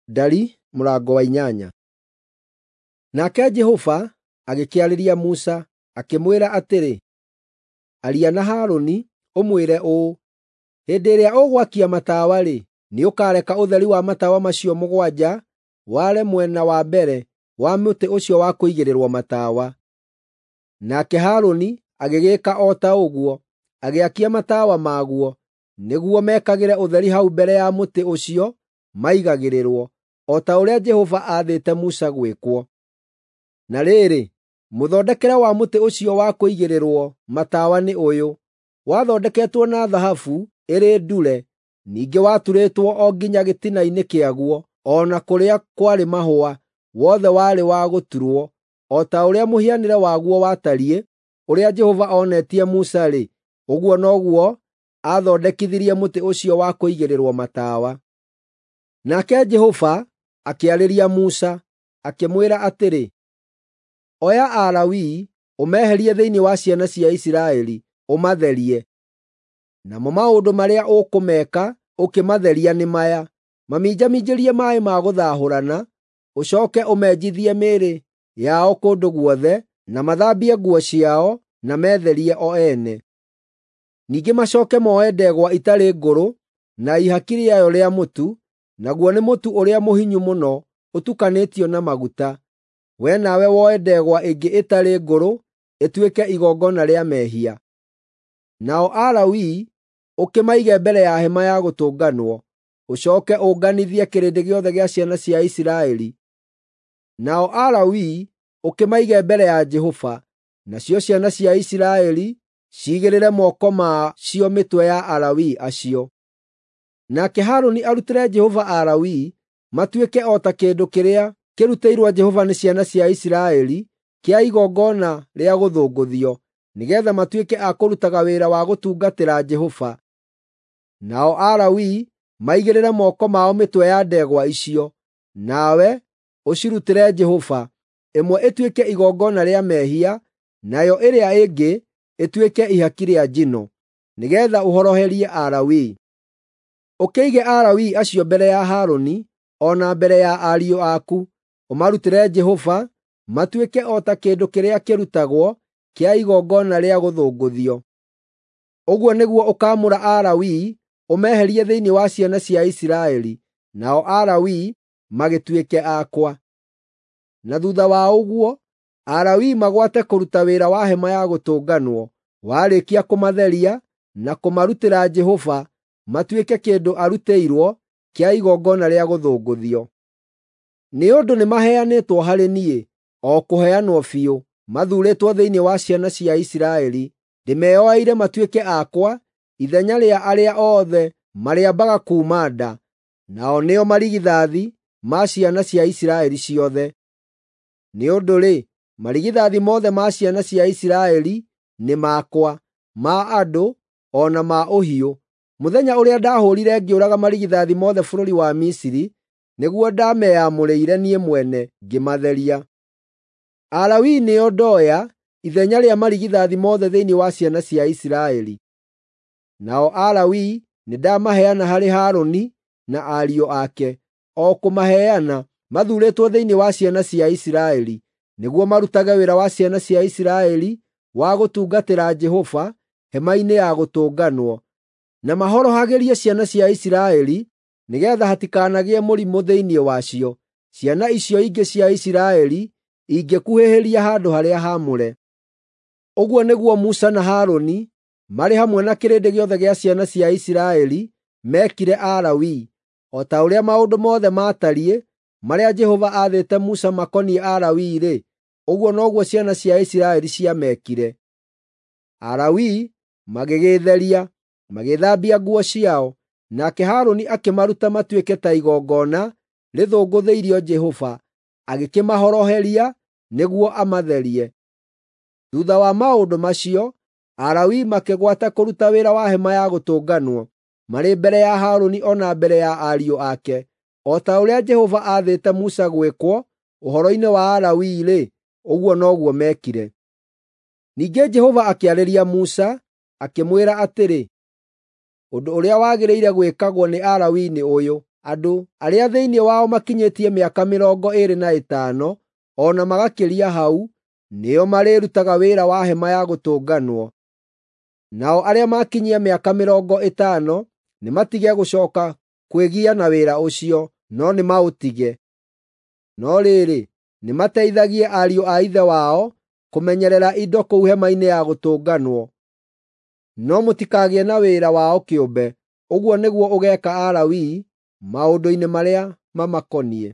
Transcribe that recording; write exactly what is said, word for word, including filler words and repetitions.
Ndari mũrango wa inyanya. Nake Jehova agĩkĩarĩria Musa, akĩmwĩra atĩrĩ, Aria na Harũni, ũmwĩre ũũ, Hĩndĩ ĩrĩa ũgwakia matawa-rĩ, nĩũkareka ũtheri wa matawa macio mũgwanja ware mwena wa mbere wa mũtĩ ũcio wa kũigĩrĩrwo matawa. Nake Harũni agĩgĩĩka o ta ũguo, agĩakia matawa maguo, nĩguo mekagĩre ũtheri hau mbere ya mũtĩ ũcio maigagĩrĩrwo, o ta ũrĩa Jehova aathĩte Musa gwĩkwo. Na rĩrĩ, mũthondekere wa mũtĩ ũcio wa kũigĩrĩrwo matawa nĩ ũyũ: wathondeketwo na thahabu ĩrĩ ndure, ningĩ waturĩtwo o nginya gĩtina-inĩ kĩaguo, o na kũrĩa kwarĩ mahũa, wothe warĩ wa gũturwo, o ta ũrĩa mũhianĩre waguo watariĩ, ũrĩa Jehova onetie Musa-rĩ, ũguo noguo aathondekithirie mũtĩ ũcio wa kũigĩrĩrwo matawa. Nake Jehova akĩarĩria Musa, akĩmwĩra atĩrĩ, Oya Alawii ũmeherie thĩinĩ wa ciana cia Isiraeli, ũmatherie. Namo maũndũ marĩa ũkũmeka ũkĩmatheria nĩ maya: maminjaminjĩrie maaĩ ma gũthahũrana, ũcooke ũmenjithie mĩĩrĩ yao kũndũ guothe, na mathambie nguo ciao, na metherie o ene. Ningĩ macooke moe ndegwa ĩtarĩ ngũrũ na ihaki rĩayo rĩa mũtu, naguo nĩ mũtu ũrĩa mũhinyu mũno ũtukanĩtio na maguta. Wee nawe woe ndegwa ĩngĩ ĩtarĩ ngũrũ ĩtuĩke igongona rĩa mehia. Nao Alawii ũkĩmaige mbere ya hema ya gũtũnganwo, ũcooke ũnganithie kĩrĩndĩ gĩothe gĩa ciana cia Isiraeli. Nao Alawii ũkĩmaige mbere ya Jehova, nacio ciana cia Isiraeli ciigĩrĩre moko ma cio mĩtwe ya Alawii acio. Nake Harũni arutĩre Jehova Alawii matuĩke o ta kĩndũ kĩrĩa kĩrutĩirwo Jehova nĩ ciana cia Isiraeli kĩa igongona rĩa gũthũngũthio, nĩgeetha matuĩke a kũrutaga wĩra wa gũtungatĩra Jehova. Nao Alawii maigĩrĩre moko mao mĩtwe ya ndegwa icio, nawe ũcirutĩre Jehova, ĩmwe ĩtuĩke igongona rĩa mehia, nayo ĩrĩa ĩngĩ ĩtuĩke ihaki rĩa njino, nĩgeetha ũhoroherie Alawii. Ũkĩige Alawii acio mbere ya Harũni o na mbere ya ariũ aku, ũmarutĩre Jehova matuĩke o ta kĩndũ kĩrĩa kĩrutagwo kĩa igongona rĩa gũthũngũthio. Ũguo nĩguo ũkaamũra Alawii ũmeherie thĩinĩ wa ciana cia Isiraeli, nao Alawii magĩtuĩke akwa. Na thuutha wa ũguo, Alawii magwate kũruta wĩra wa hema ya gũtũnganwo, warĩkia kũmatheria na kũmarutĩra Jehova matuĩke kĩndũ arutĩirwo kĩa igongona rĩa gũthũngũthio. Nĩ ũndũ nĩmaheanĩtwo harĩ niĩ, o kũheanwo biũ, mathuurĩtwo thĩinĩ wa ciana cia Isiraeli, ndĩmeoeire matuĩke akwa ithenya rĩa arĩa othe marĩambaga kuuma nda, nao nĩo marigithathi ma ciana cia Isiraeli ciothe. Nĩ ũndũ-rĩ, marigithathi mothe ma ciana cia Isiraeli nĩ makwa, ma andũ o na ma ũhiũ. Mũthenya ũrĩa ndahũũrire ngĩũraga marigithathi mothe bũrũri wa Misiri, nĩguo ndameyamũrĩire niĩ mwene ngĩmatheria. Alawii nĩo ndoya ithenya rĩa marigithathi mothe thĩinĩ wa ciana cia Isiraeli. Nao Alawii nĩndamaheana harĩ Harũni na ariũ ake, o kũmaheana mathuurĩtwo thĩinĩ wa ciana cia Isiraeli, nĩguo marutage wĩra wa ciana cia Isiraeli wa gũtungatĩra Jehova hema-inĩ ya gũtũnganwo, na mahorohagĩrie ciana cia Isiraeli nĩgeetha hatikanagĩe mũrimũ thĩinĩ wacio, ciana icio ingĩ cia Isiraeli ingĩkuhĩhĩria handũ-harĩa-haamũre. Ũguo nĩguo Musa na Harũni marĩ hamwe na kĩrĩndĩ gĩothe gĩa ciana cia Isiraeli meekire Alawii, o ta ũrĩa maũndũ mothe maatariĩ marĩa Jehova aathĩte Musa makoniĩ Alawii-rĩ, ũguo noguo ciana cia Isiraeli ciamekire. Alawii magĩgĩĩtheria, magĩĩthambia nguo ciao, nake Harũni akĩmaruta matuĩke ta igongona rĩthũngũthĩirio Jehova, agĩkĩmahoroheria nĩguo amatherie. Thuutha wa maũndũ macio, Alawii makĩgwata kũruta wĩra wa hema ya gũtũnganwo, marĩ mbere ya Harũni o na mbere ya ariũ ake, o ta ũrĩa Jehova aathĩte Musa gwĩkwo ũhoro-inĩ wa Alawii-rĩ, ũguo noguo meekire. Ningĩ Jehova akĩarĩria Musa, akĩmwĩra atĩrĩ, Ũndũ ũrĩa wagĩrĩire gwĩkagwo nĩ Alawii nĩ ũyũ: Andũ arĩa thĩinĩ wao makinyĩtie mĩaka mĩrongo ĩĩrĩ na ĩtano o na magakĩria hau, nĩo marĩrutaga wĩra wa Hema-ya-Gũtũnganwo. Nao arĩa maakinyia mĩaka mĩrongo ĩtano nĩmatige gũcooka kwĩgia na wĩra ũcio, no nĩmaũtige. No rĩrĩ, nĩmateithagie ariũ a ithe wao kũmenyerera indo kũu Hema-inĩ-ya-Gũtũnganwo. No mũtikagĩe na wĩra wao kĩũmbe. Ũguo nĩguo ũgeeka Alawii maũndũ-inĩ marĩa mamakoniĩ.